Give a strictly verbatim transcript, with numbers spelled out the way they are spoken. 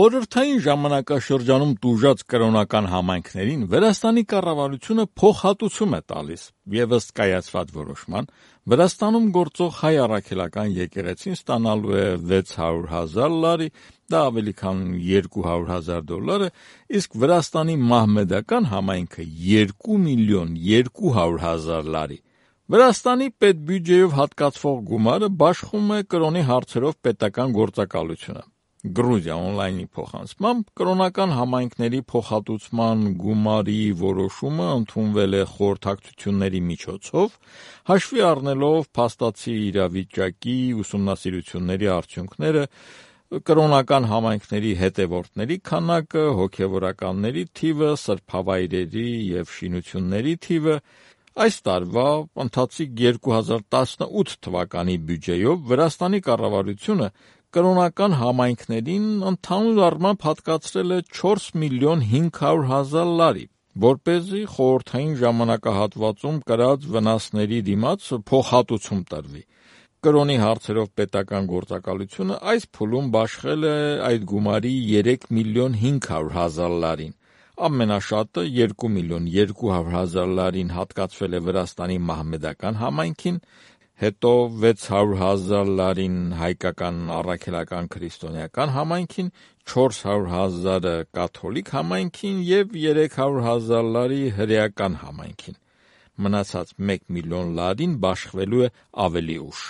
Խորհրդային ժամանակաշրջանում տուժած կրոնական համայնքներին Վրաստանի կառավարությունը փոխհատուցում է տալիս եւ ըստ կայացված որոշման Վրաստանում գործող հայ առաքելական եկեղեցին ստանալու է վեց հարյուր հազար լարի, դա ավելի քան երկու հարյուր հազար դոլար է, իսկ Վրաստանի մահմեդական համայնքը երկու միլիոն երկու հարյուր հազար լարի։ Վրաստանի պետբյուջեով հատկացվող գումարը բաշխում է կրոնի հարցերով պետական գործակալությունը։ Գրուզիա օնլայնի փոխանցմամբ կրոնական համայնքների փոխհատուցման գումարի որոշումը ընդունվել է խորհրդակցությունների միջոցով, հաշվի առնելով փաստացի իրավիճակի ուսումնասիրությունների արդյունքները, կրոնական համայնքների հետևորդների քանակը, հոգևորականների թիվը, սրբավայրերի եւ շինությունների թիվը, այս տարվա ընթացիկ երկու հազար տասնութ թվականի բյուջեով Վրաստանի կառավարությունը կրոնական համայնքներին ընդհանուր առմամբ հատկացրել է չորս միլիոն հինգ հարյուր հազար լարի, որպեսզի խորհրդային ժամանակահատվածում կրած վնասների դիմաց փոխհատուցում տրվի։ Կրոնի հարցերով պետական գործակալությունը այս փուլում բաշխել է այդ գումարի երեք միլիոն հինգ հարյուր հազար լարին։ Ամենաշատը երկու միլիոն երկու հարյուր հազար լարին հատկացվել է Վրաստանի մահմեդական համայնքին, հետո վեց հարյուր հազար լարին հայկական առաքելական քրիստոնեական համայնքին, չորս հարյուր հազարը կաթոլիկ համայնքին եւ երեք հարյուր հազար լարի հրեական համայնքին։ Մնացած մեկ միլիոն լարին բաշխվելու է ավելի ուշ։